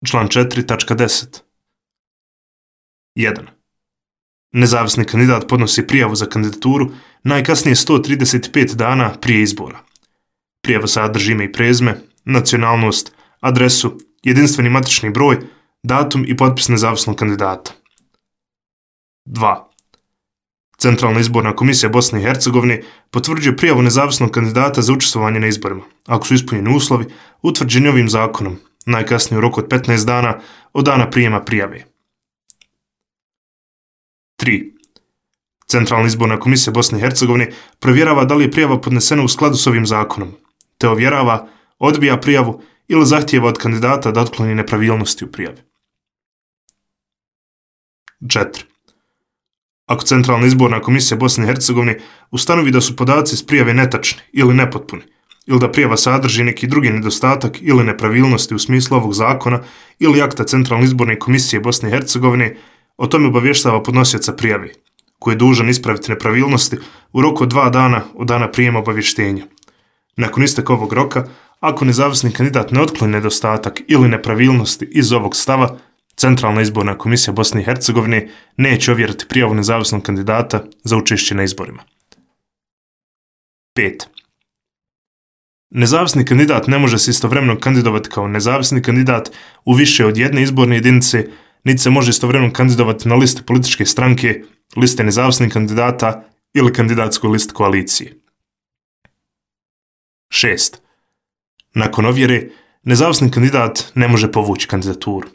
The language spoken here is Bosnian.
Član 4.10. 1. Nezavisni kandidat podnosi prijavu za kandidaturu najkasnije 135 dana prije izbora. Prijava sadrži ime i prezime, nacionalnost, adresu, jedinstveni matični broj, datum i potpis nezavisnog kandidata. 2. Centralna izborna komisija Bosne i Hercegovine potvrđuje prijavu nezavisnog kandidata za učestvovanje na izborima, ako su ispunjeni uslovi utvrđeni ovim zakonom, najkasnije u roku od 15 dana od dana prijema prijave. 3. Centralna izborna komisija Bosne i Hercegovine provjerava da li je prijava podnesena u skladu s ovim zakonom, te ovjerava, odbija prijavu ili zahtijeva od kandidata da otkloni nepravilnosti u prijavi. 4. Ako Centralna izborna komisija Bosne i Hercegovine ustanovi da su podaci iz prijave netačni ili nepotpuni, ili da prijava sadrži neki drugi nedostatak ili nepravilnosti u smislu ovog zakona ili akta Centralne izborne komisije Bosne i Hercegovine, o tome obavještava podnosioca prijave, koji je dužan ispraviti nepravilnosti u roku od 2 dana od dana prijema obavještenja. Nakon isteka ovog roka, ako nezavisni kandidat ne otkloni nedostatak ili nepravilnosti iz ovog stava, Centralna izborna komisija Bosne i Hercegovine neće ovjeriti prijavu nezavisnog kandidata za učešće na izborima. 5. Nezavisni kandidat ne može se istovremeno kandidovati kao nezavisni kandidat u više od jedne izborne jedinice, niti se može istovremeno kandidovati na listi političke stranke, liste nezavisnih kandidata ili kandidatskoj listi koalicije. 6. Nakon ovjere, nezavisni kandidat ne može povući kandidaturu.